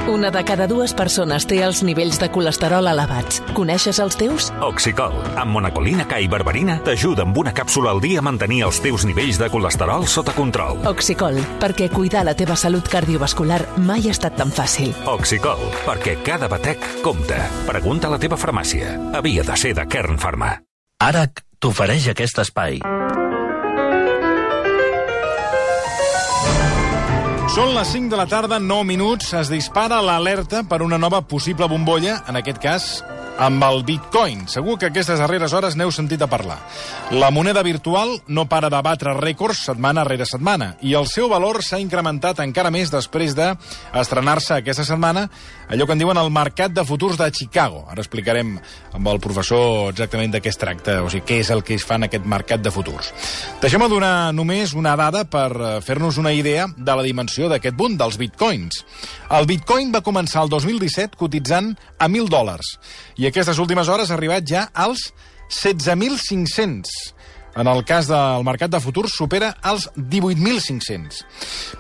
Una de cada dues persones té els nivells de colesterol elevats. Coneixes els teus? Oxicol, amb monacolina K i berberina, t'ajuda amb una càpsula al dia a mantenir els teus nivells de colesterol sota control. Oxicol, perquè cuidar la teva salut cardiovascular mai ha estat tan fàcil. Oxicol, perquè cada batec compta. Pregunta a la teva farmàcia. Havia de ser de Kern Pharma. ARAC t'ofereix aquest espai. Són les 5 de la tarda, 9 minuts, es dispara l'alerta per una nova possible bombolla, en aquest cas amb el Bitcoin. Segur que aquestes darreres hores n'heu sentit a parlar. La moneda virtual no para de batre rècords setmana rere setmana i el seu valor s'ha incrementat encara més després d'estrenar-se aquesta setmana allò que en diuen el mercat de futurs de Chicago. Ara explicarem amb el professor exactament de què es tracta, o sigui, què és el que es fa en aquest mercat de futurs. Deixem-me donar només una dada per fer-nos una idea de la dimensió d'aquest boom dels bitcoins. El bitcoin va començar el 2017 cotitzant a $1.000 i aquestes últimes hores ha arribat ja als 16.500. En el cas del mercat de futurs supera els 18.500.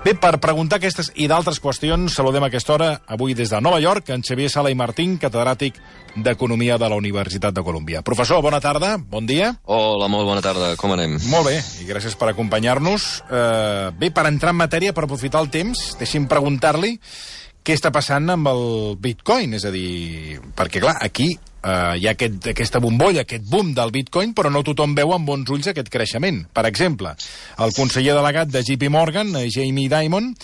Bé, per preguntar aquestes i d'altres qüestions, saludem a aquesta hora, avui des de Nova York, en Xavier Sala i Martín, catedràtic d'Economia de la Universitat de Colúmbia. Professor, bona tarda, bon dia. Hola, molt bona tarda, com anem? Molt bé, i gràcies per acompanyar-nos. Bé, per entrar en matèria, per aprofitar el temps, deixi'm preguntar-li què està passant amb el Bitcoin, és a dir, perquè clar, aquí hi ha aquesta bombolla, aquest boom del Bitcoin, però no tothom veu amb bons ulls aquest creixement. Per exemple, el conseller delegat de JP Morgan, Jamie Dimon,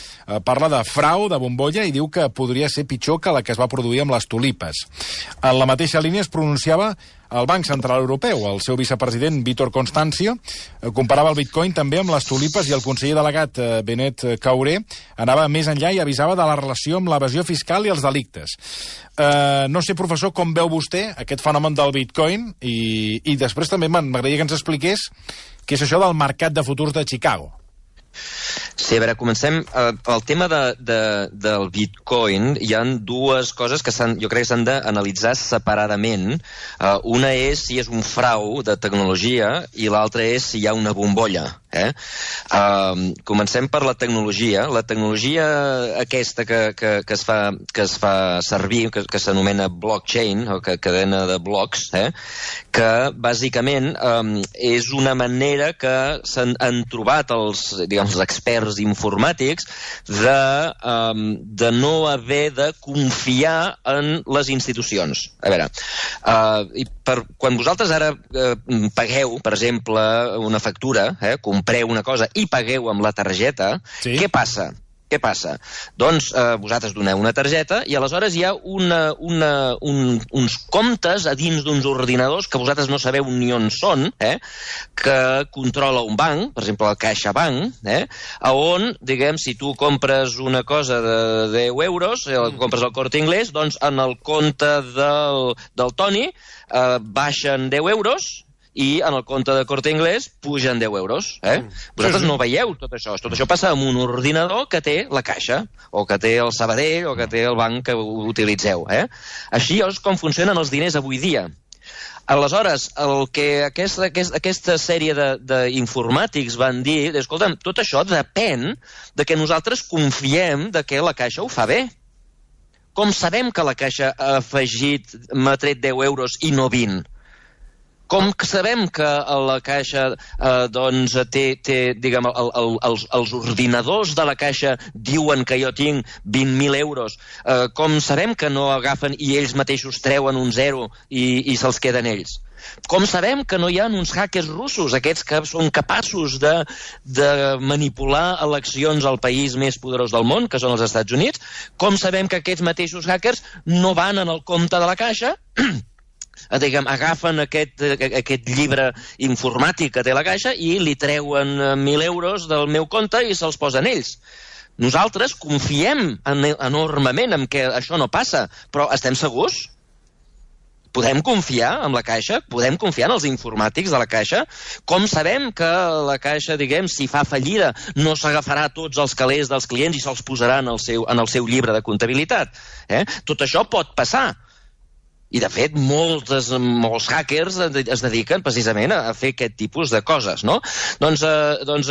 parla de frau, de bombolla, i diu que podria ser pitjor que la que es va produir amb les tulipes. En la mateixa línia es pronunciava el Banc Central Europeu. El seu vicepresident, Vítor Constàncio, comparava el Bitcoin també amb les tulipes i el conseller delegat, Benet Cauré, anava més enllà i avisava de la relació amb l'evasió fiscal i els delictes. No sé, professor, com veu vostè aquest fenomen del Bitcoin i després també m'agradaria que ens expliqués què és això del mercat de futurs de Chicago. Sí, a veure, comencem. El tema del Bitcoin, hi ha dues coses que jo crec que s'han d'analitzar separadament. Una és si és un frau de tecnologia i l'altra és si hi ha una bombolla. Comencem per la tecnologia. La tecnologia aquesta que es fa servir, que s'anomena blockchain, o cadena de blocs, que bàsicament és una manera que s'han trobat els experts informàtics de no haver de confiar en les institucions. A veure, quan vosaltres ara pagueu, per exemple, una factura, compreu una cosa i pagueu amb la targeta, sí. Què passa? Doncs vosaltres doneu una targeta i aleshores hi ha uns comptes a dins d'uns ordinadors que vosaltres no sabeu ni on són, que controla un banc, per exemple el CaixaBank, on, diguem, si tu compres una cosa de 10 euros, compres al Corte Inglés, doncs en el compte del Toni baixen 10 euros i en el compte de Corte Inglés pugen 10 euros. Vosaltres no veieu tot això. Tot això passa amb un ordinador que té la Caixa, o que té el Sabadell, o que té el banc que utilitzeu. Així és com funcionen els diners avui dia. Aleshores, el que aquesta sèrie d'informàtics van dir, escolta'm, tot això depèn de que nosaltres confiem de que la Caixa ho fa bé. Com sabem que la Caixa m'ha tret 10 euros i no 20? Com sabem que la Caixa té, diguem, els ordinadors de la Caixa diuen que jo tinc 20.000 euros? Com sabem que no agafen i ells mateixos treuen un zero i se'ls queden ells? Com sabem que no hi ha uns hackers russos, aquests que són capaços de manipular eleccions al país més poderós del món, que són els Estats Units? Com sabem que aquests mateixos hackers no van en el compte de la Caixa, agafen aquest llibre informàtic que té la Caixa i li treuen 1.000 euros del meu compte i se'ls posen ells? Nosaltres confiem enormement en que això no passa, però estem segurs? Podem confiar en la Caixa? Podem confiar en els informàtics de la Caixa? Com sabem que la Caixa, diguem, si fa fallida, no s'agafarà tots els calés dels clients i se'ls posarà en el seu llibre de comptabilitat? Tot això pot passar. I, de fet, molts hackers es dediquen precisament a fer aquest tipus de coses, no? Doncs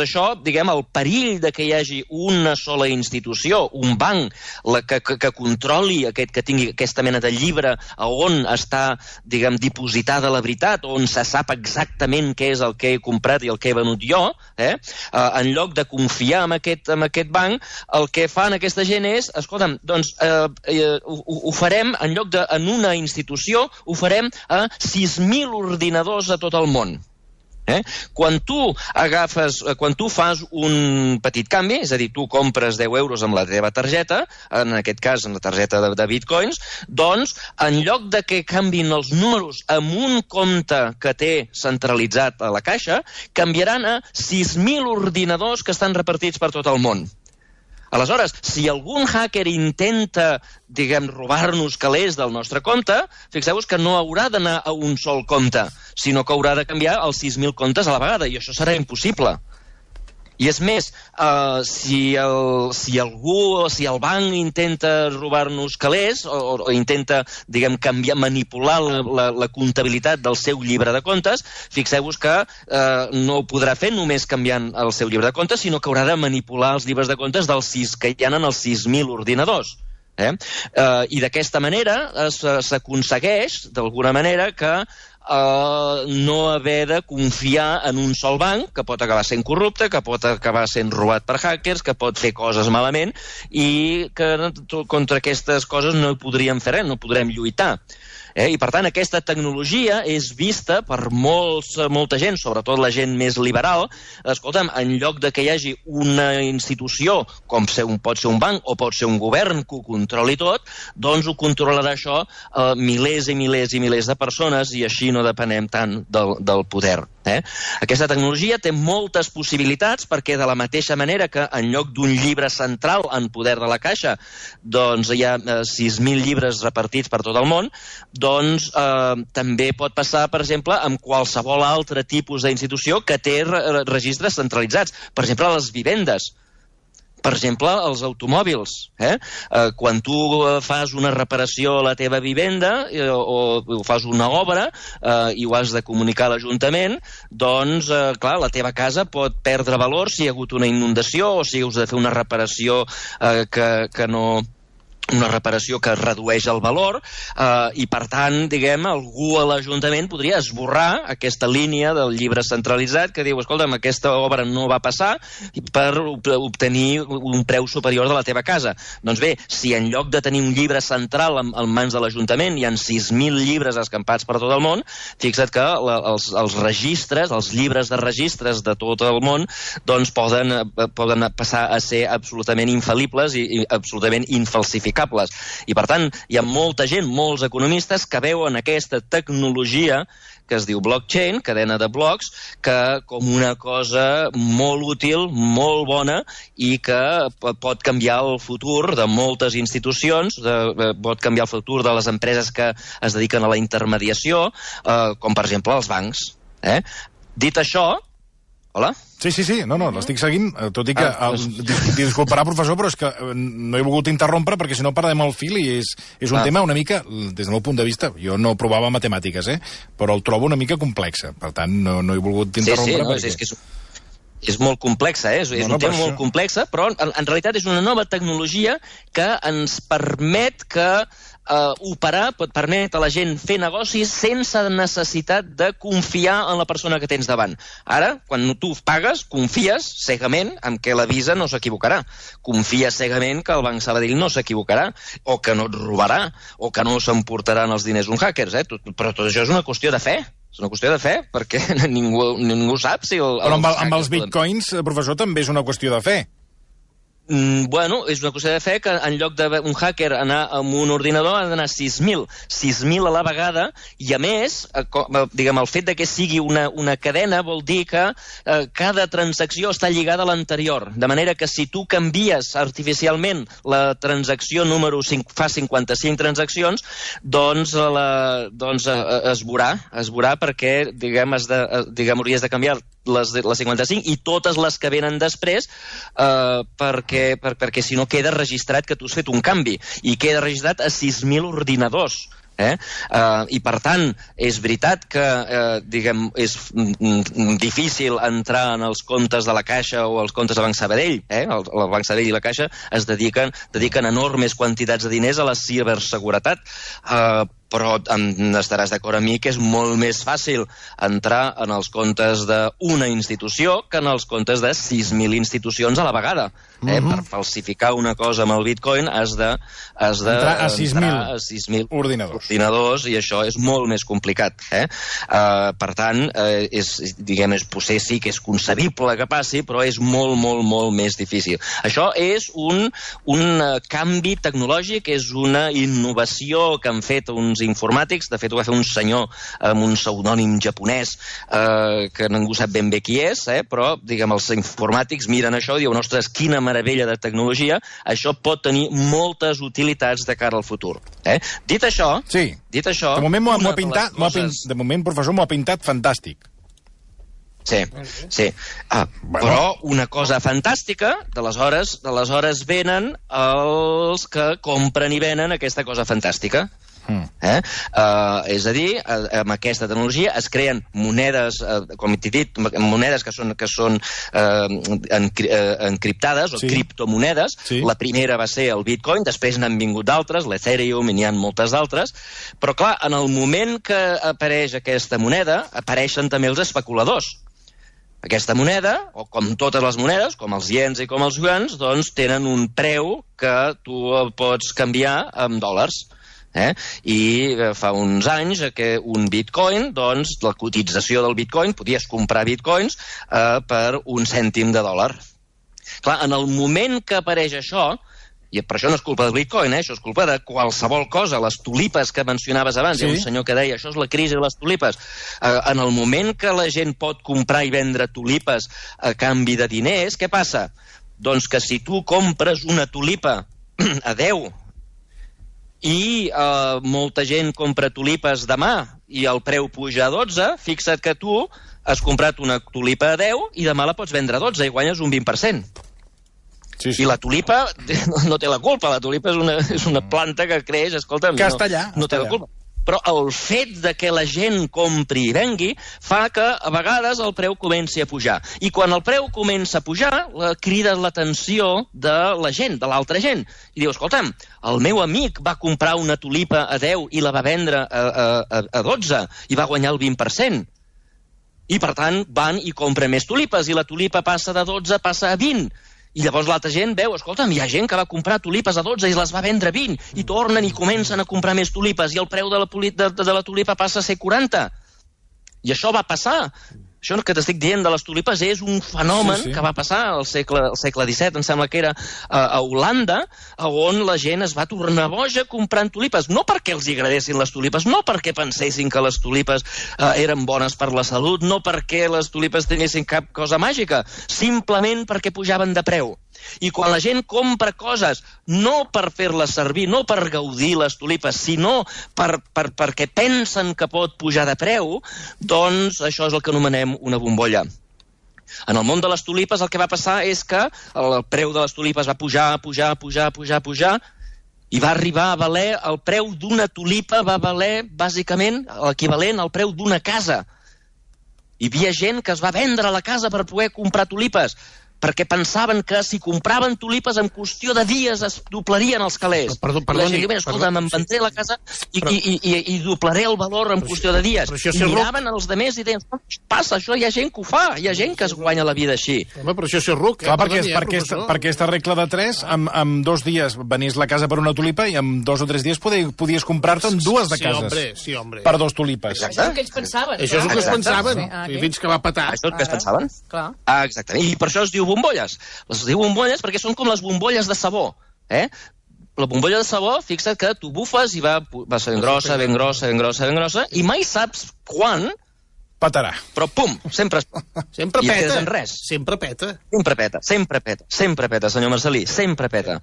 això, diguem, el perill de que hi hagi una sola institució, un banc, que controli, que tingui aquesta mena de llibre on està, diguem, dipositada la veritat, on se sap exactament què és el que he comprat i el que he venut jo, en lloc de confiar en aquest banc, el que fan aquesta gent és, escolta'm, doncs ho farem, en lloc de en una institució, ho farem a 6.000 ordinadors a tot el món. Quan tu fas un petit canvi, és a dir, tu compres 10 euros amb la teva targeta, en aquest cas amb la targeta de bitcoins, doncs en lloc de que canvin els números amb un compte que té centralitzat a la caixa, canviaran a 6.000 ordinadors que estan repartits per tot el món. Aleshores, si algun hacker intenta, diguem, robar-nos calés del nostre compte, fixeu-vos que no haurà d'anar a un sol compte, sinó que haurà de canviar els 6.000 comptes a la vegada, i això serà impossible. I és més, si el banc intenta robar-nos calés o intenta, diguem, manipular la comptabilitat del seu llibre de comptes, fixeu-vos que no ho podrà fer només canviant el seu llibre de comptes, sinó que haurà de manipular els llibres de comptes que hi ha en els 6.000 ordinadors. I d'aquesta manera s'aconsegueix, d'alguna manera, que no haver de confiar en un sol banc, que pot acabar sent corrupte, que pot acabar sent robat per hackers, que pot fer coses malament, i que contra aquestes coses no hi podríem fer res, no podrem lluitar. I, per tant, aquesta tecnologia és vista per molta gent, sobretot la gent més liberal. Escolta'm, en lloc de que hi hagi una institució, com pot ser un banc o pot ser un govern que ho controli tot, doncs ho controlarà això milers i milers i milers de persones, i així no depenem tant del poder. Aquesta tecnologia té moltes possibilitats, perquè de la mateixa manera que en lloc d'un llibre central en poder de la caixa, doncs hi ha 6.000 llibres repartits per tot el món, doncs també pot passar, per exemple, amb qualsevol altre tipus d'institució que té registres centralitzats. Per exemple, les vivendes. Per exemple, els automòbils. Quan tu fas una reparació a la teva vivenda o fas una obra i ho has de comunicar a l'Ajuntament, doncs, clar, la teva casa pot perdre valor si hi ha hagut una inundació o si has de fer una reparació que no... una reparació que redueix el valor i, per tant, diguem, algú a l'Ajuntament podria esborrar aquesta línia del llibre centralitzat que diu, escolta'm, aquesta obra no va passar per obtenir un preu superior de la teva casa. Doncs bé, si en lloc de tenir un llibre central en mans de l'Ajuntament hi ha 6.000 llibres escampats per tot el món, fixa't que els registres, els llibres de registres de tot el món, doncs poden passar a ser absolutament infal·libles i absolutament infalsificables. I, per tant, hi ha molta gent, molts economistes, que veuen aquesta tecnologia que es diu blockchain, cadena de blocs, com una cosa molt útil, molt bona, i que pot canviar el futur de moltes institucions, pot canviar el futur de les empreses que es dediquen a la intermediació, com, per exemple, els bancs. Dit això... Hola? Sí, no, l'estic seguint, tot i que... Disculparà, professor, però és que no he volgut interrompre perquè si no perdem el fil i és un tema una mica, des del meu punt de vista, jo no provava matemàtiques, però el trobo una mica complexa. Per tant, no he volgut interrompre perquè... És que és molt complexa, és un tema molt complex, però en realitat és una nova tecnologia que ens permet operar, pot permetre a la gent fer negocis sense necessitat de confiar en la persona que tens davant. Ara, quan tu pagues, confies cegament en que la Visa no s'equivocarà. Confies cegament que el Banc Sabadell no s'equivocarà, o que no et robarà, o que no s'emportaran els diners uns hackers. Però tot això és una qüestió de fe. És una qüestió de fe, perquè ningú sap si... Però amb els bitcoins, professor, també és una qüestió de fe. Bueno, és una qüestió de fe que en lloc d'un hacker anar amb un ordinador ha d'anar 6.000. 6.000 a la vegada, i a més, diguem, el fet de que sigui una cadena vol dir que cada transacció està lligada a l'anterior. De manera que si tu canvies artificialment la transacció número 5, fa 55 transaccions, doncs es veurà perquè, diguem, hauries de canviar les 55 i totes les que venen després perquè si no queda registrat que tu has fet un canvi i queda registrat a 6.000 ordinadors. I, per tant, és veritat que és difícil entrar en els comptes de la Caixa o els comptes de Banc Sabadell. El Banc Sabadell i la Caixa es dediquen enormes quantitats de diners a la ciberseguretat, però estaràs d'acord amb mi que és molt més fàcil entrar en els comptes d'una institució que en els comptes de 6.000 institucions a la vegada. Per falsificar una cosa amb el bitcoin has entrar a 6.000 ordinadors i això és molt més complicat. Per tant, potser sí que és concebible que passi, però és molt, molt, molt més difícil. Això és un canvi tecnològic, és una innovació que han fet uns informàtics. De fet, ho va fer un senyor amb un pseudònim japonès que ningú sap ben bé qui és, però els informàtics miren això i diuen, ostres, quina meravella de tecnologia, això pot tenir moltes utilitats de cara al futur. Dit això... De moment m'ho ha pintat, de moment, professor, m'ho ha pintat fantàstic. Sí. Però una cosa fantàstica, d'aleshores venen els que compren i venen aquesta cosa fantàstica. És a dir, amb aquesta tecnologia es creen monedes, com t'he dit, monedes que són encriptades o criptomonedes. La primera va ser el Bitcoin, després n'han vingut d'altres, l'Ethereum, i n'hi ha moltes d'altres. Però, clar, en el moment que apareix aquesta moneda, apareixen també els especuladors. Aquesta moneda, o com totes les monedes, com els iens i com els yuans, doncs tenen un preu que tu pots canviar en dòlars. I fa uns anys que un bitcoin, doncs la cotització del bitcoin, podies comprar bitcoins per $1 cèntim. Clar, en el moment que apareix això, i per això no és culpa del bitcoin, això és culpa de qualsevol cosa, les tulipes que mencionaves abans, hi ha un senyor que deia, això és la crisi de les tulipes. En el moment que la gent pot comprar i vendre tulipes a canvi de diners, què passa? Doncs que si tu compres una tulipa a 10 i molta gent compra tulipes demà i el preu puja a 12, fixa't que tu has comprat una tulipa a 10 i demà la pots vendre a 12 i guanyes un 20%. I la tulipa no té la culpa, la tulipa és una planta que creix, escolta'm, no té la culpa. Però el fet de que la gent compri i vengui fa que a vegades el preu comenci a pujar. I quan el preu comença a pujar, crida l'atenció de la gent, de l'altra gent. I diu, escolta'm, el meu amic va comprar una tulipa a 10 i la va vendre a 12 i va guanyar el 20%. I per tant van i compren més tulipes i la tulipa passa de 12, passa a 20. I llavors l'altra gent veu, escolta'm, hi ha gent que va comprar tulipes a 12 i les va vendre a 20 i tornen i comencen a comprar més tulipes i el preu de la tulipa passa a ser 40. I això va passar. Això que t'estic dient de les tulipes és un fenomen que va passar al segle XVII, em sembla que era a Holanda, on la gent es va tornar boja comprant tulipes. No perquè els agradessin les tulipes, no perquè pensessin que les tulipes eren bones per la salut, no perquè les tulipes tenissin cap cosa màgica, simplement perquè pujaven de preu. I quan la gent compra coses no per fer-les servir, no per gaudir les tulipes, sinó perquè pensen que pot pujar de preu, doncs això és el que anomenem una bombolla. En el món de les tulipes el que va passar és que el preu de les tulipes va pujar, i va arribar a valer, el preu d'una tulipa va valer bàsicament l'equivalent al preu d'una casa. Hi havia gent que es va vendre la casa per poder comprar tulipes, perquè pensaven que si compraven tulipes en qüestió de dies es doblarien els calés. La gent diu, escolta, me'n vendré la casa i doblaré el valor en qüestió de dies. I miraven els demés i deien, passa, això hi ha gent que ho fa, hi ha gent que es guanya la vida així. Home, però això és ruc. Clar, per aquesta regla de 3, amb 2 dies venies la casa per una tulipa i amb 2 o 3 dies podies comprar-te en 2 de cases. Sí, hombre. Per 2 tulipes. Això és el que ells pensaven. Això és el que es pensaven, fins que va petar. Això és el que es pensaven? Clar. Exactament. I per això es diu bombolles. Les diu bombolles perquè són com les bombolles de sabó. La bombolla de sabó, fixa't que tu bufes i va sent grossa, ben grossa, i mai saps quan petarà. Però pum, sempre Sempre i peta. quedes en res. Sempre peta. Sempre peta, senyor Marcelí, sempre peta.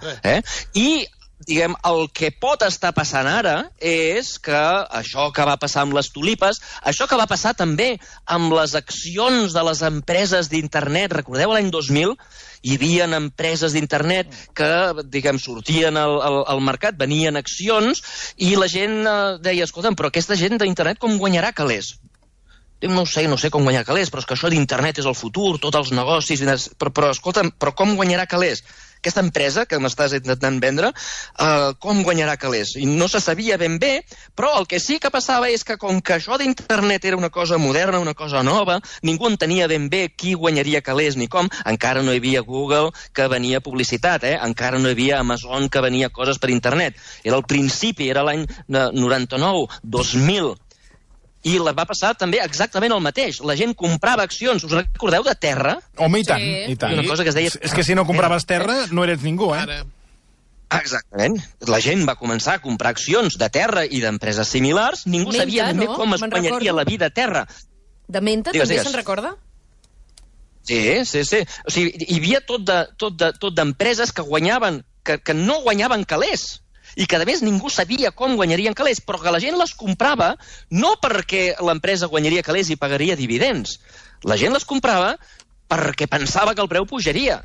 I diguem, el que pot estar passant ara és que això que va passar amb les tulipes, això que va passar també amb les accions de les empreses d'internet, recordeu l'any 2000? Hi havia empreses d'internet que, diguem, sortien al mercat, venien accions, i la gent deia, escolta'm, però aquesta gent d'internet com guanyarà calés? No sé com guanyar calés, però és que això d'internet és el futur, tots els negocis, però escolta'm, però com guanyarà calés? Aquesta empresa que m'estàs intentant vendre, com guanyarà calés? I no se sabia ben bé, però el que sí que passava és que com que això d'internet era una cosa moderna, una cosa nova, ningú entenia ben bé qui guanyaria calés ni com, encara no hi havia Google que venia publicitat, encara no hi havia Amazon que venia coses per internet. Era el principi, era l'any 99, 2000, i va passar també exactament el mateix. La gent comprava accions, us recordeu de Terra? Home, i tant, i tant. Una cosa que es deia... És que si no compraves Terra, no eres ningú, Exactament. La gent va començar a comprar accions de Terra i d'empreses similars. Ningú sabia ben bé com es guanyaria la vida a Terra. De Menta també se'n recorda? Sí. O sigui, hi havia tot d'empreses que guanyaven, que no guanyaven calés, i que, a més, ningú sabia com guanyarien calés, però que la gent les comprava no perquè l'empresa guanyaria calés i pagaria dividends. La gent les comprava perquè pensava que el preu pujaria.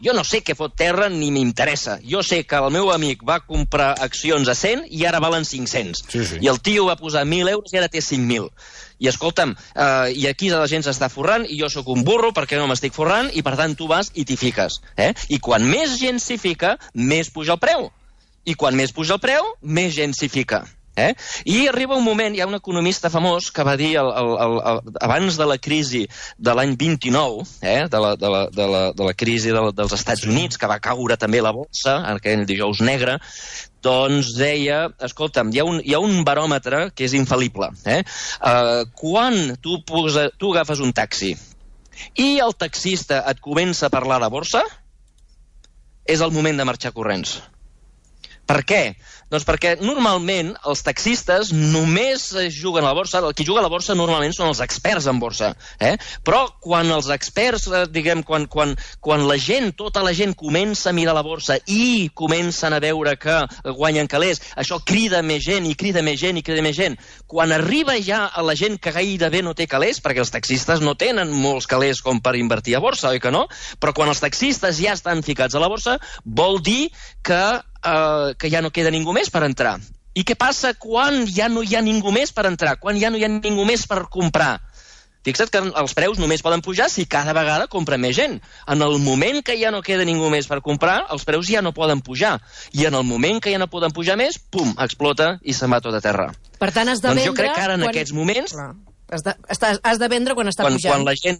Jo no sé què fot Terra ni m'interessa. Jo sé que el meu amic va comprar accions a 100 i ara valen 500. Sí. I el tio va posar 1.000 euros i ara té 5.000. I escolta'm, i aquí la gent s'està forrant i jo sóc un burro perquè no m'estic forrant i per tant tu vas i t'hi fiques. I quan més gent s'hi fica, més puja el preu. I quan més puja el preu, més gent s'hi fica. I arriba un moment, hi ha un economista famós que va dir abans de la crisi de l'any 29, de la crisi dels Estats Units, que va caure també la borsa, aquell dijous negre, doncs deia, escolta'm, hi ha un baròmetre que és infal·lible. Quan tu agafes un taxi i el taxista et comença a parlar de borsa, és el moment de marxar corrents. Per què? Doncs perquè normalment els taxistes només juguen a la borsa, el qui juga a la borsa normalment són els experts en borsa. Però quan els experts, diguem, quan la gent, tota la gent comença a mirar la borsa i comencen a veure que guanyen calés, això crida més gent i crida més gent i crida més gent. Quan arriba ja a la gent que gairebé no té calés, perquè els taxistes no tenen molts calés com per invertir a borsa, oi que no? Però quan els taxistes ja estan ficats a la borsa, vol dir que ja no queda ningú més per entrar. I què passa quan ja no hi ha ningú més per entrar? Quan ja no hi ha ningú més per comprar? Fixa't que els preus només poden pujar si cada vegada compra més gent. En el moment que ja no queda ningú més per comprar, els preus ja no poden pujar. I en el moment que ja no poden pujar més, pum, explota i se'n va tot a terra. Per tant, has de vendre... Doncs jo crec que ara en aquests moments... Has de vendre quan està pujant. Quan la gent...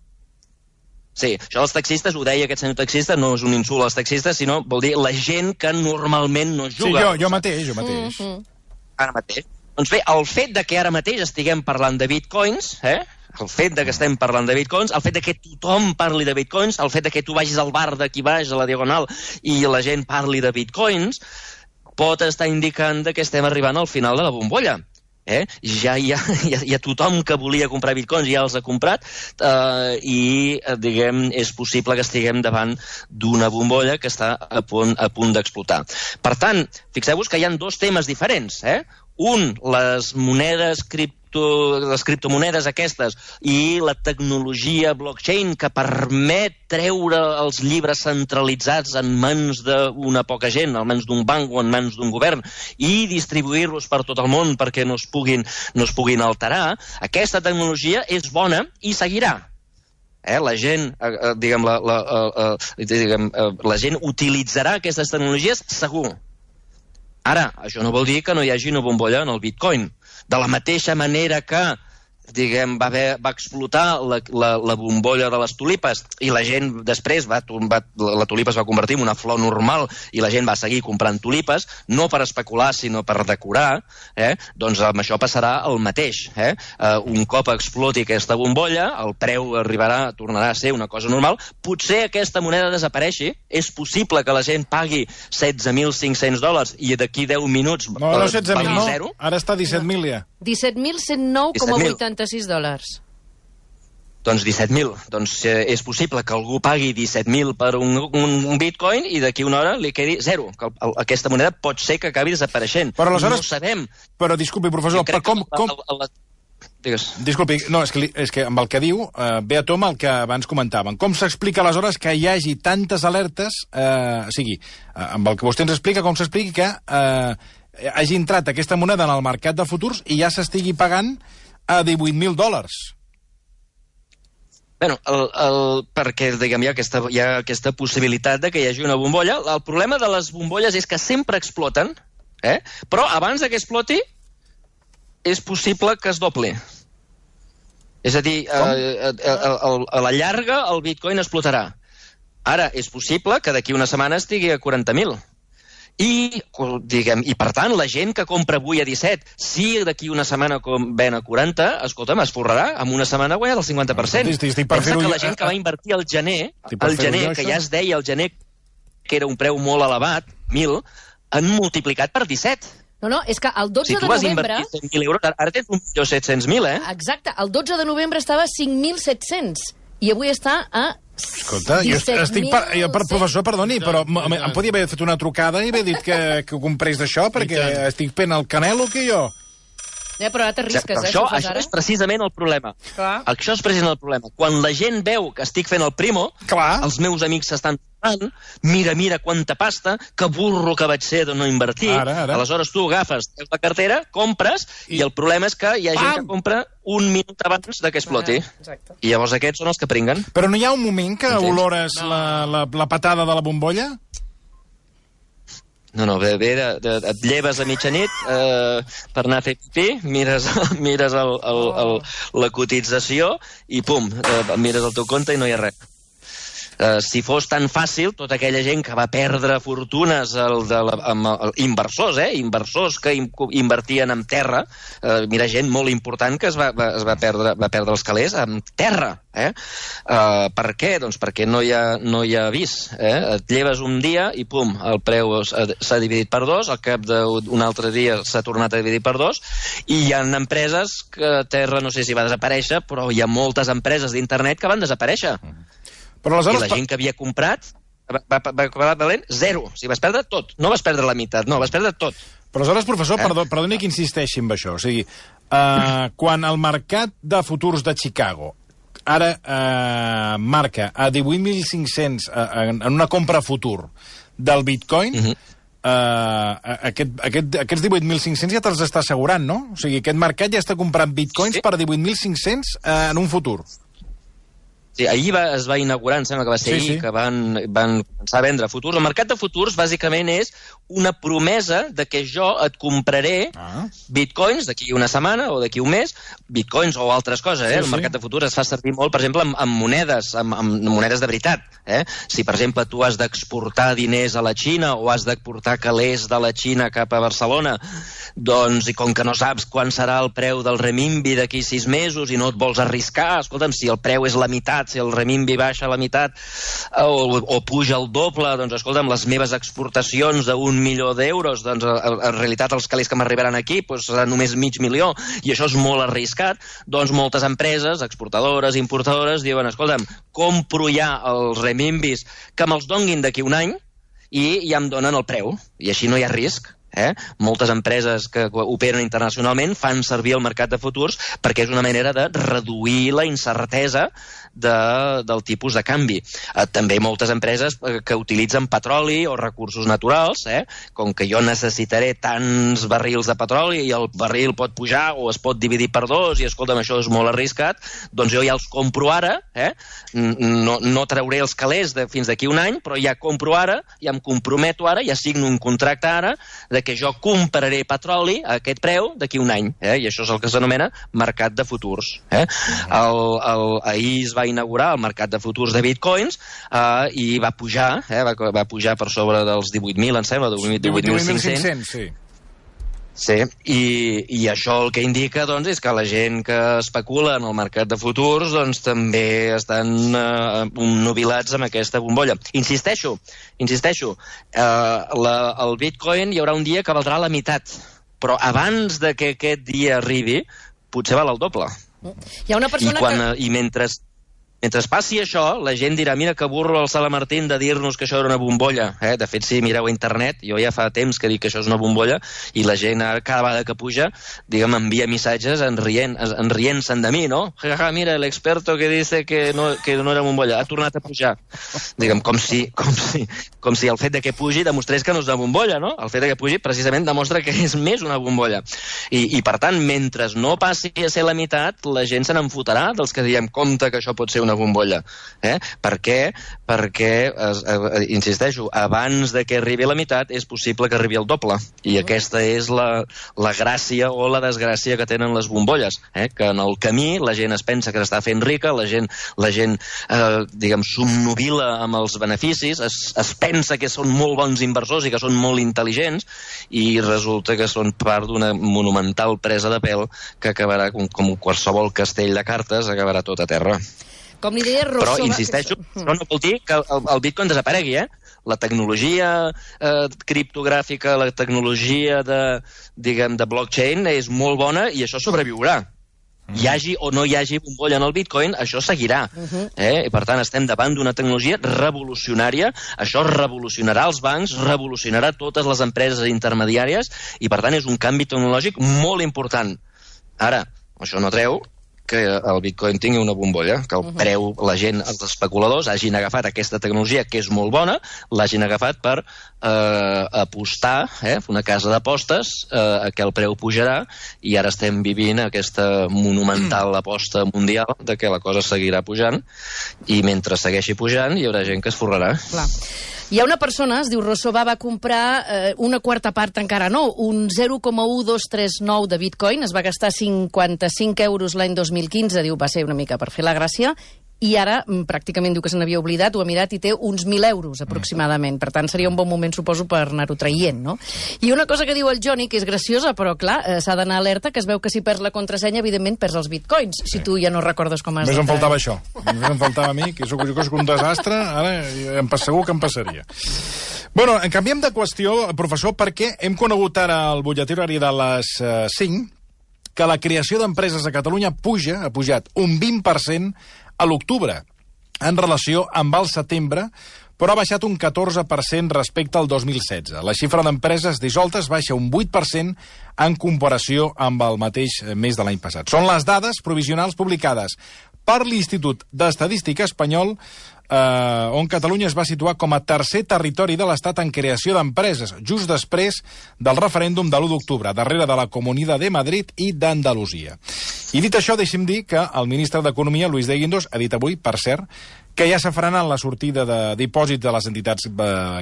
Sí, això dels taxistes, ho deia aquest senyor taxista, no és un insult als taxistes, sinó vol dir la gent que normalment no juga. Sí, jo mateix. Ara mateix. Doncs bé, el fet de que ara mateix estiguem parlant de bitcoins, el fet de que estem parlant de bitcoins, el fet de que tothom parli de bitcoins, el fet de que tu vagis al bar d'aquí baix, a la Diagonal, i la gent parli de bitcoins, pot estar indicant que estem arribant al final de la bombolla. Ja hi ha tothom que volia comprar bitcoins, ja els ha comprat, i, diguem, és possible que estiguem davant d'una bombolla que està a punt d'explotar. Per tant, fixeu-vos que hi ha dos temes diferents. Un, les monedes les criptomonedes aquestes i la tecnologia blockchain que permet treure els llibres centralitzats en mans d'una poca gent, en mans d'un banc o en mans d'un govern, i distribuir-los per tot el món perquè no es puguin alterar. Aquesta tecnologia és bona i seguirà. La gent, la gent utilitzarà aquestes tecnologies segur. Ara, això no vol dir que no hi hagi una bombolla en el bitcoin. De la mateixa manera que, diguem, va explotar la bombolla de les tulipes i la gent després, la tulipa es va convertir en una flor normal i la gent va seguir comprant tulipes, no per especular, sinó per decorar, doncs amb això passarà el mateix. Un cop exploti aquesta bombolla, el preu tornarà a ser una cosa normal. Potser aquesta moneda desapareixi, és possible que la gent pagui $16.500 i d'aquí 10 minuts pagui zero. Ara està 17.000 ja. $17.109,86. Doncs 17.000. Doncs és possible que algú pagui 17.000 per un bitcoin i d'aquí una hora li quedi 0. Aquesta moneda pot ser que acabi desapareixent. Però aleshores... No sabem. Però, disculpi, professor, però com... Digues. Disculpi, no, és que amb el que diu ve a tom el que abans comentàvem. Com s'explica aleshores que hi hagi tantes alertes, o sigui, amb el que vostè ens explica, com s'explica que hagi entrat aquesta moneda en el mercat de futurs i ja s'estigui pagant a $18.000? Bueno, perquè, diguem, hi ha aquesta possibilitat de que hi hagi una bombolla. El problema de les bombolles és que sempre exploten, però abans que exploti és possible que es dobli. És a dir, a la llarga el bitcoin explotarà. Ara, és possible que d'aquí una setmana estigui a 40.000. I per tant, la gent que compra avui a 17, si d'aquí una setmana ven a 40, escolta'm, es forrarà, en una setmana ha guanyat el 50%. Pensa que la gent que va invertir al gener, que ja es deia al gener que era un preu molt elevat, 1.000, han multiplicat per 17. No, és que el 12 de novembre... Si tu vas invertir 100.000 euros, ara tens 1.700.000, Exacte, el 12 de novembre estava a 5.700 i avui està a 17.000. Escolta, jo professor, perdoni, però em podia haver fet una trucada i haver dit que ho comprés d'això, perquè estic fent el canelo que jo... Però ara t'arrisques, Això és precisament el problema. Això és precisament el problema. Quan la gent veu que estic fent el primo, els meus amics s'estan tornant, mira quanta pasta, que burro que vaig ser de no invertir. Aleshores tu agafes la cartera, compres, i el problema és que hi ha gent que compra un minut abans que exploti. I llavors aquests són els que pringuen. Però no hi ha un moment que olores la patada de la bombolla? No, et lleves a mitjanit per anar a fer pipí, mires la cotització i pum, mires el teu compte i no hi ha res. Si fos tan fàcil, tota aquella gent que va perdre fortunes, inversors que invertien en terra, mira, gent molt important que es va perdre els calés en terra. Per què? Doncs perquè no hi ha avís. Et lleves un dia i pum, el preu s'ha dividit per 2, al cap d'un altre dia s'ha tornat a dividir per 2, i hi ha empreses que terra no sé si va desaparèixer, però hi ha moltes empreses d'internet que van desaparèixer. I la gent que havia comprat va acabar valent 0. O sigui, vas perdre tot. No vas perdre la meitat, no, vas perdre tot. Però aleshores, professor, perdoni que insisteixi en això. O sigui, quan el mercat de futurs de Chicago ara marca a 18.500 en una compra futur del bitcoin, aquests 18.500 ja te'ls està assegurant, no? O sigui, aquest mercat ja està comprant bitcoins per 18.500 en un futur. Sí, ahir es va inaugurar, em sembla que va ser ahir, que van començar a vendre futurs. El mercat de futurs, bàsicament, és una promesa de que jo et compraré bitcoins d'aquí una setmana o d'aquí un mes, bitcoins o altres coses. El mercat de futurs es fa servir molt, per exemple, amb monedes, amb monedes de veritat. Si, per exemple, tu has d'exportar diners a la Xina o has d'exportar calés de la Xina cap a Barcelona, doncs, i com que no saps quan serà el preu del renminbi d'aquí 6 mesos i no et vols arriscar, escolta'm, si el preu és la meitat, si el renminbi baixa a la meitat o puja el doble, doncs escolta'm, les meves exportacions d'1 milió d'euros, doncs en realitat els calés que m'arribaran aquí seran només $500.000 i això és molt arriscat, doncs moltes empreses, exportadores, importadores, diuen, escolta'm, compro ja els renminbis que me'ls donguin d'aquí un any i ja em donen el preu, i així no hi ha risc. Moltes empreses que operen internacionalment fan servir el mercat de futurs perquè és una manera de reduir la incertesa del tipus de canvi. També moltes empreses que utilitzen petroli o recursos naturals, com que jo necessitaré tants barrils de petroli i el barril pot pujar o es pot dividir per 2 i escolta'm, això és molt arriscat, doncs jo ja els compro ara, no trauré els calés fins d'aquí un any, però ja compro ara, ja em comprometo ara, ja signo un contracte ara de que jo compraré petroli a aquest preu d'aquí un any, i això és el que s'anomena mercat de futurs. Ahir es va inaugurar el mercat de futurs de bitcoins i va pujar, va pujar per sobre dels 18.000, em sembla, 18.500. Sí. Sí, i això el que indica doncs, és que la gent que especula en el mercat de futurs doncs, també estan nubilats amb aquesta bombolla. Insisteixo, el bitcoin hi haurà un dia que valdrà la meitat, però abans de que aquest dia arribi, potser val el doble. Hi ha una persona I mentre mentre passi això, la gent dirà, mira que burro el Sala Martín de dir-nos que això era una bombolla. De fet, si mireu a internet, jo ja fa temps que dic que això és una bombolla, i la gent cada vegada que puja, diguem, envia missatges enrient-se'n de mi, no? Jaja, mira, l'experto que dice que no era bombolla, ha tornat a pujar. Diguem, com si el fet de que pugi demostrés que no és una bombolla, no? El fet de que pugi precisament demostra que és més una bombolla. I per tant, mentre no passi a ser la meitat, la gent se n'enfotarà dels que diem, compte que això pot ser una bombolla. Per què? Perquè, insisteixo, abans de que arribi a la meitat és possible que arribi al doble. I aquesta és la gràcia o la desgràcia que tenen les bombolles. Que en el camí la gent es pensa que s'està fent rica, la gent diguem, somnubila amb els beneficis, es pensa que són molt bons inversors i que són molt intel·ligents, i resulta que són part d'una monumental presa de pèl que acabarà com qualsevol castell de cartes, acabarà tot a terra. Com li deia Rousseau... Però, insisteixo, no vol dir que el Bitcoin desaparegui, La tecnologia criptogràfica, la tecnologia de blockchain és molt bona i això sobreviurà. Hi hagi o no hi hagi bombolla en el Bitcoin, això seguirà. I per tant, estem davant d'una tecnologia revolucionària. Això revolucionarà els bancs, revolucionarà totes les empreses intermediàries, i per tant és un canvi tecnològic molt important. Ara, això no treu que el Bitcoin tingui una bombolla, que el preu, la gent, els especuladors, hagin agafat aquesta tecnologia, que és molt bona, l'hagin agafat per apostar, una casa d'apostes, que el preu pujarà, i ara estem vivint aquesta monumental aposta mundial de que la cosa seguirà pujant, i mentre segueixi pujant hi haurà gent que es forrarà. Clar. Hi ha una persona, es diu Rousseau, va comprar una quarta part, encara no, un 0,1239 de Bitcoin, es va gastar 55 euros l'any 2015, diu, va ser una mica per fer la gràcia, i ara pràcticament diu que se n'havia oblidat, ho ha mirat i té uns 1.000 euros aproximadament. Per tant, seria un bon moment, suposo, per anar-ho traient, no? I una cosa que diu el Johnny, que és graciosa, però clar, s'ha d'anar alerta, que es veu que si perds la contrasenya, evidentment perds els bitcoins, si tu ja no recordes com has... Només em faltava això. Només em faltava a mi, que jo soc un desastre, ara segur que em passaria. Bueno, canviem de qüestió, professor, perquè hem conegut ara al butlletí horari de les 5 que la creació d'empreses a Catalunya ha pujat un 20% a l'octubre, en relació amb el setembre, però ha baixat un 14% respecte al 2016. La xifra d'empreses dissoltes baixa un 8% en comparació amb el mateix mes de l'any passat. Són les dades provisionals publicades per l'Institut d'Estadística espanyol, on Catalunya es va situar com a tercer territori de l'Estat en creació d'empreses, just després del referèndum de l'1 d'octubre, darrere de la Comunitat de Madrid i d'Andalusia. I dit això, deixem dir que el ministre d'Economia, Luis de Guindos, ha dit avui, per cert, que ja s'ha frenat la sortida de dipòsits de les entitats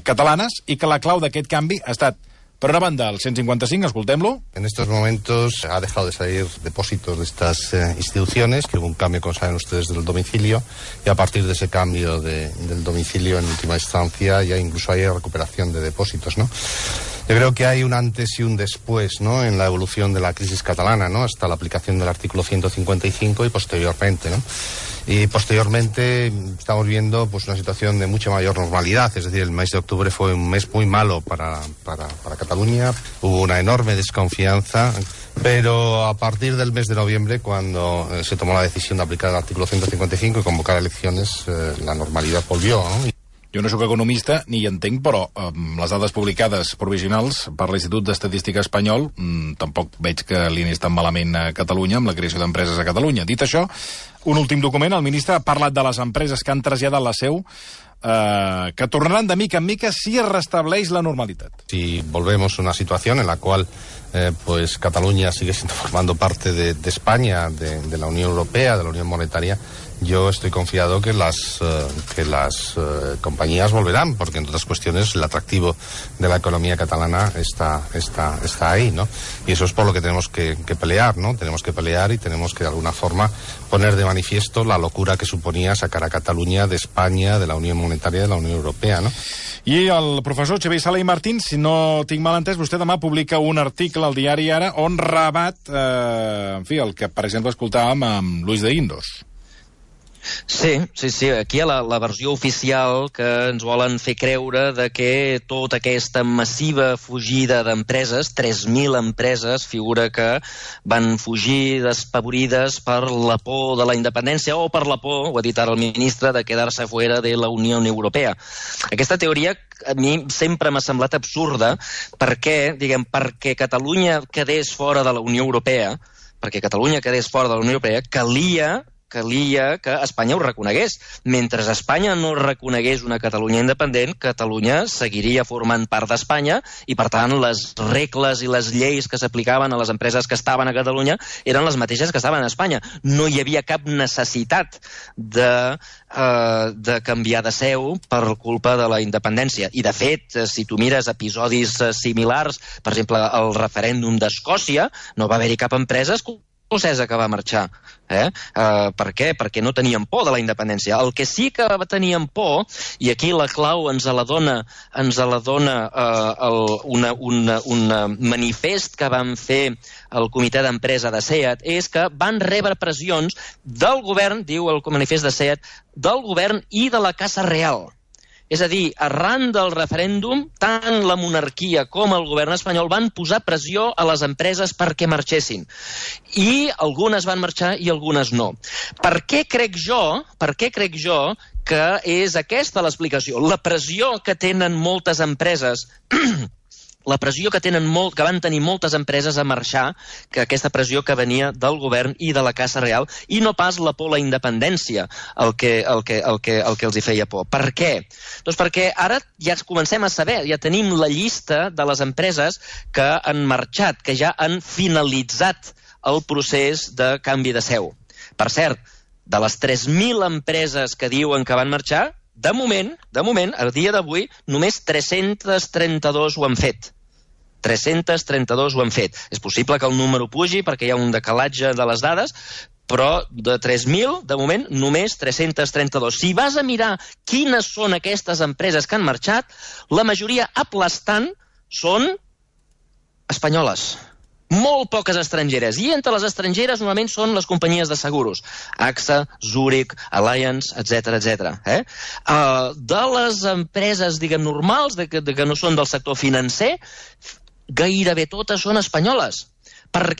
catalanes i que la clau d'aquest canvi ha estat, por una banda, el 155, escoltem-lo. En estos momentos ha dejado de salir depósitos de estas instituciones, que hubo un cambio, como saben ustedes, del domicilio, y a partir de ese cambio del domicilio, en última instancia, ya incluso hay recuperación de depósitos, ¿no? Yo creo que hay un antes y un después, ¿no?, en la evolución de la crisis catalana, ¿no?, hasta la aplicación del artículo 155 y posteriormente, ¿no? Y posteriormente estamos viendo pues una situación de mucha mayor normalidad, es decir, el mes de octubre fue un mes muy malo para Cataluña, hubo una enorme desconfianza, pero a partir del mes de noviembre, cuando se tomó la decisión de aplicar el artículo 155 y convocar elecciones, la normalidad volvió, ¿no? Jo no sóc economista ni hi entenc, però les dades publicades provisionals per l'Institut d'Estadística espanyol tampoc veig que li anés tan malament a Catalunya amb la creació d'empreses a Catalunya. Dit això, un últim document, el ministre ha parlat de les empreses que han traslladat la seu, que tornaran de mica en mica si es restableix la normalitat. Si volvemos a una situación en la cual pues Cataluña sigue formando parte de España, de la Unión Europea, de la Unión Monetaria, yo estoy confiado que las compañías volverán, porque entre otras cuestiones el atractivo de la economía catalana está ahí, ¿no? Y eso es por lo que tenemos que pelear, ¿no? Tenemos que pelear y tenemos que de alguna forma poner de manifiesto la locura que suponía sacar a Catalunya de España, de la Unión Monetaria, de la Unión Europea, ¿no? I el professor Xavier Sala i Martín, si no tinc mal entès, vostè demà publica un article al diari Ara on rebat, el que, per exemple, escoltàvem amb Luis de Guindos. Sí. Aquí hi ha la versió oficial que ens volen fer creure de que tota aquesta massiva fugida d'empreses, 3.000 empreses, figura que van fugir despavorides per la por de la independència o per la por, ho ha dit ara el ministre, de quedar-se fuera de la Unió Europea. Aquesta teoria a mi sempre m'ha semblat absurda perquè Catalunya quedés fora de la Unió Europea, calia que Espanya ho reconegués. Mentre Espanya no reconegués una Catalunya independent, Catalunya seguiria formant part d'Espanya i, per tant, les regles i les lleis que s'aplicaven a les empreses que estaven a Catalunya eren les mateixes que estaven a Espanya. No hi havia cap necessitat de canviar de seu per culpa de la independència. I, de fet, si tu mires episodis similars, per exemple, el referèndum d'Escòcia, no va haver-hi cap empresa escocesa que va marxar. Per què? Perquè no tenien por de la independència. El que sí que tenien por, i aquí la clau ens la dona un manifest que van fer el comitè d'empresa de SEAT, és que van rebre pressions del govern, diu el manifest de SEAT, del govern i de la Casa Real. És a dir, arran del referèndum, tant la monarquia com el govern espanyol van posar pressió a les empreses perquè marxessin. I algunes van marxar i algunes no. Per què crec jo que és aquesta l'explicació? La pressió que tenen moltes empreses que van tenir moltes empreses a marxar, que aquesta pressió que venia del govern i de la Casa Real, i no pas la por a la independència, el que els hi feia por. Per què? Doncs perquè ara ja comencem a saber, ja tenim la llista de les empreses que han marxat, que ja han finalitzat el procés de canvi de seu. Per cert, de les 3.000 empreses que diuen que van marxar, de moment, a dia d'avui, només 332 ho han fet. 332 ho han fet. És possible que el número pugi perquè hi ha un decalatge de les dades, però de 3.000, de moment, només 332. Si vas a mirar quines són aquestes empreses que han marxat, la majoria aplastant són espanyoles. Molt poques estrangeres. I entre les estrangeres normalment són les companyies de seguros. AXA, Zurich, Allianz, etc. De les empreses, normals, que no són del sector financer, gairebé totes són espanyoles.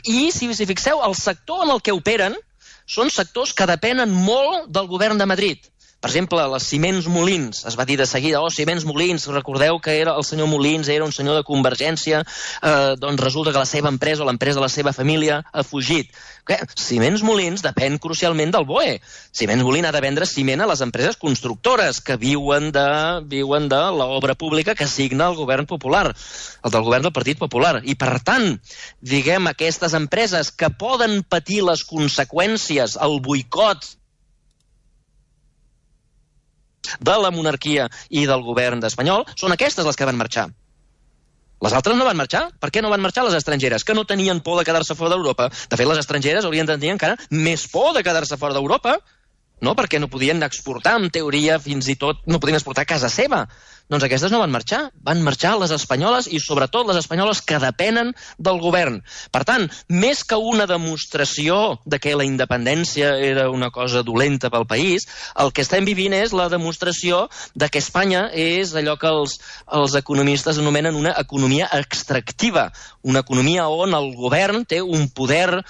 I, si fixeu, el sector en el que operen són sectors que depenen molt del govern de Madrid. Per exemple, les Siemens Molins, es va dir de seguida, Siemens Molins, recordeu que el senyor Molins era un senyor de Convergència, doncs resulta que la seva empresa o l'empresa de la seva família ha fugit. Siemens Molins depèn crucialment del BOE. Siemens Molins ha de vendre ciment a les empreses constructores que viuen de l'obra pública que signa el govern popular, el del govern del Partit Popular. I, per tant, aquestes empreses que poden patir les conseqüències, el boicot de la monarquia i del govern espanyol, són aquestes les que van marxar. Les altres no van marxar. Per què no van marxar les estrangeres? Que no tenien por de quedar-se fora d'Europa. De fet, les estrangeres haurien de tenir encara més por de quedar-se fora d'Europa, no? Perquè no podien exportar, en teoria, fins i tot no podien exportar a casa seva. Doncs aquestes no van marxar les espanyoles i sobretot les espanyoles que depenen del govern. Per tant, més que una demostració de que la independència era una cosa dolenta pel país, el que estem vivint és la demostració de que Espanya és allò que els economistes anomenen una economia extractiva, una economia on el govern té un poder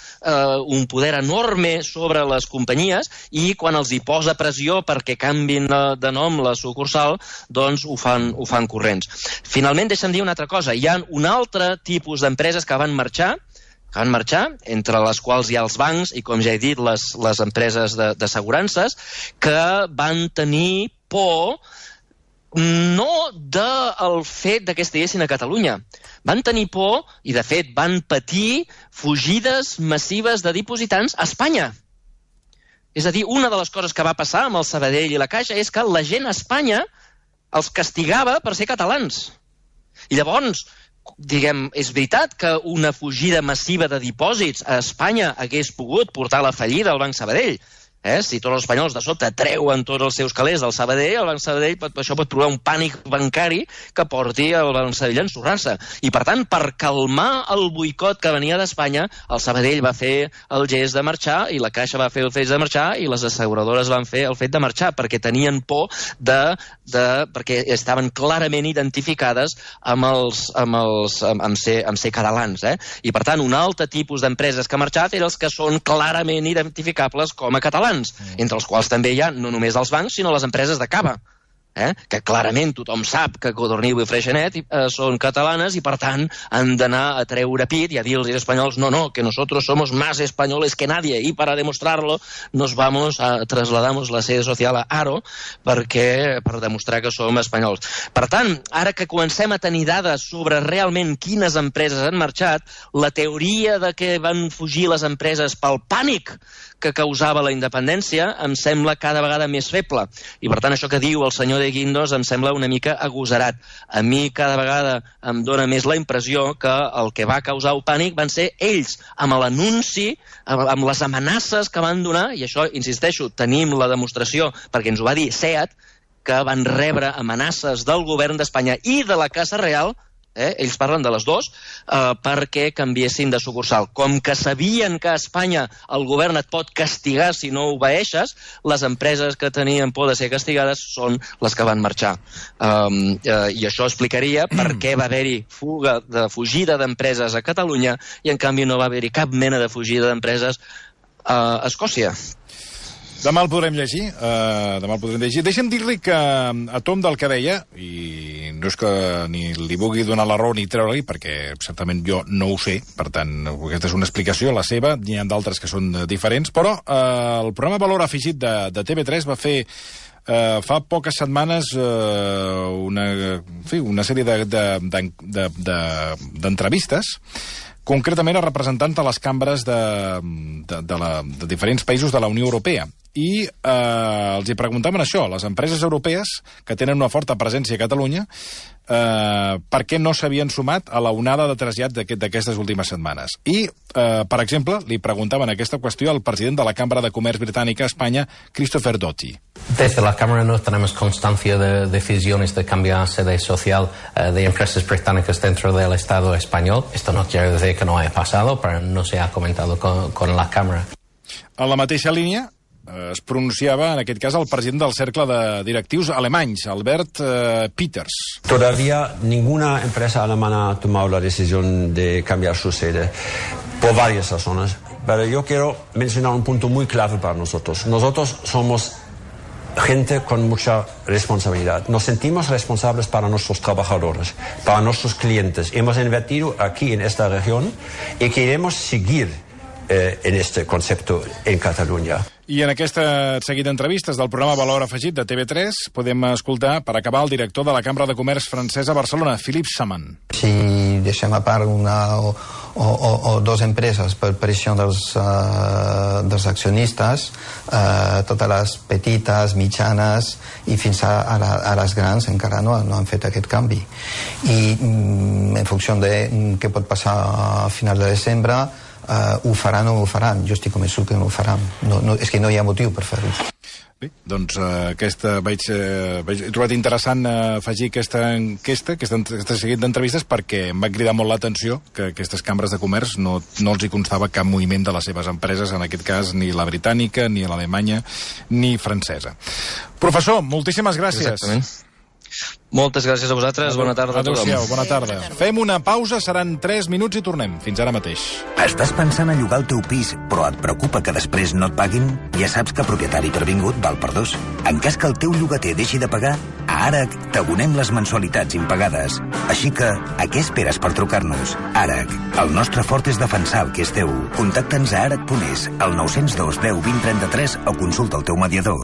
enorme sobre les companyies i quan els hi posa pressió perquè canvin de nom la sucursal, doncs ho fan corrents. Finalment, deixa'm dir una altra cosa. Hi ha un altre tipus d'empreses que van marxar, entre les quals hi ha els bancs i, com ja he dit, les empreses d'assegurances, que van tenir por no del fet que estiguessin a Catalunya. Van tenir por i, de fet, van patir fugides massives de dipositants a Espanya. És a dir, una de les coses que va passar amb el Sabadell i la Caixa és que la gent a Espanya els castigava per ser catalans. I llavors, és veritat que una fugida massiva de dipòsits a Espanya hagués pogut portar a la fallida al Banc Sabadell, Si tots els espanyols de sobte treuen tots els seus calés del Sabadell, el Banc Sabadell això pot provocar un pànic bancari que porti el Banc Sabadell a ensorrar-se. I, per tant, per calmar el boicot que venia d'Espanya, el Sabadell va fer el gest de marxar i la Caixa va fer el fet de marxar i les asseguradores van fer el fet de marxar perquè tenien por perquè estaven clarament identificades amb ser catalans. I, per tant, un altre tipus d'empreses que ha marxat eren els que són clarament identificables com a catalans, entre els quals també hi ha no només els bancs, sinó les empreses de cava, que clarament tothom sap que Codorniu i Freixenet són catalanes i, per tant, han d'anar a treure pit i a dir als espanyols no, que nosotros somos más españoles que nadie y para demostrarlo trasladamos la sede social a Haro per demostrar que som espanyols. Per tant, ara que comencem a tenir dades sobre realment quines empreses han marxat, la teoria de que van fugir les empreses pel pànic que causava la independència em sembla cada vegada més feble. I, per tant, això que diu el senyor de Guindos em sembla una mica agosarat. A mi cada vegada em dóna més la impressió que el que va causar el pànic van ser ells, amb l'anunci, amb les amenaces que van donar, i això, insisteixo, tenim la demostració, perquè ens ho va dir SEAT, que van rebre amenaces del govern d'Espanya i de la Casa Real, ells parlen de les dues, perquè canviessin de sucursal. Com que sabien que a Espanya el govern et pot castigar si no obeeixes, les empreses que tenien por de ser castigades són les que van marxar. I això explicaria per què va haver-hi fugida d'empreses a Catalunya i en canvi no va haver-hi cap mena de fugida d'empreses a Escòcia. Demà el podrem llegir. Deixa'm dir-li que a tom del que deia, i no és que ni li vulgui donar la raó ni treure-li, perquè certament jo no ho sé, per tant, aquesta és una explicació, la seva, n'hi ha d'altres que són diferents, però el programa Valor Afegit de TV3 va fer fa poques setmanes una sèrie d'entrevistes, concretament a representants de les cambres de diferents països de la Unió Europea. I els hi preguntaven això, les empreses europees que tenen una forta presència a Catalunya, per què no s'havien sumat a la onada de trasllat d'aquestes últimes setmanes. I, per exemple, li preguntaven aquesta qüestió al president de la Cambra de Comerç Britànica a Espanya, Christopher Doty. Desde la Cámara no tenemos constancia de decisiones de cambiar sede social de empresas británicas dentro del Estado español. Esto no quiere decir que no haya pasado, pero no se ha comentado con la Cámara. En la mateixa línia es pronunciava, en aquest cas, el president del cercle de directius alemanys, Albert Peters. Todavía ninguna empresa alemana ha tomado la decisión de cambiar su sede por varias razones, pero yo quiero mencionar un punto muy clave para nosotros. Nosotros somos gente con mucha responsabilidad. Nos sentimos responsables para nuestros trabajadores, para nuestros clientes. Hemos invertido aquí en esta región y queremos seguir en este concepto en Catalunya. I en aquesta seguit d'entrevistes del programa Valor Afegit de TV3 podem escoltar, per acabar, el director de la Cambra de Comerç francesa a Barcelona, Philippe Saman. Si deixem a part una o dues empreses per pressió dels accionistes, totes les petites, mitjanes i fins a les grans encara no han fet aquest canvi. I en funció de què pot passar a final de desembre, ho faran o no ho faran. Jo estic convençut que no ho faran. És que no hi ha motiu per fer-ho. Bé, doncs he trobat interessant afegir aquesta enquesta, aquesta seguit d'entrevistes, perquè em va cridar molt l'atenció que aquestes cambres de comerç no els hi constava cap moviment de les seves empreses, en aquest cas ni la britànica, ni l'alemanya, ni francesa. Professor, moltíssimes gràcies. Exactament. Moltes gràcies a vosaltres, bona tarda a tothom. Adéu-siau, bona tarda. Fem una pausa, seran 3 minuts i tornem. Fins ara mateix. Estàs pensant a llogar el teu pis, però et preocupa que després no et paguin? Ja saps que propietari previngut val per dos. En cas que el teu llogater deixi de pagar, a ARAC t'abonem les mensualitats impagades. Així que, a què esperes per trucar-nos? ARAC, el nostre fort és defensar el que és teu. Contacta'ns a arac.es, al 902 10 20 33 o consulta el teu mediador.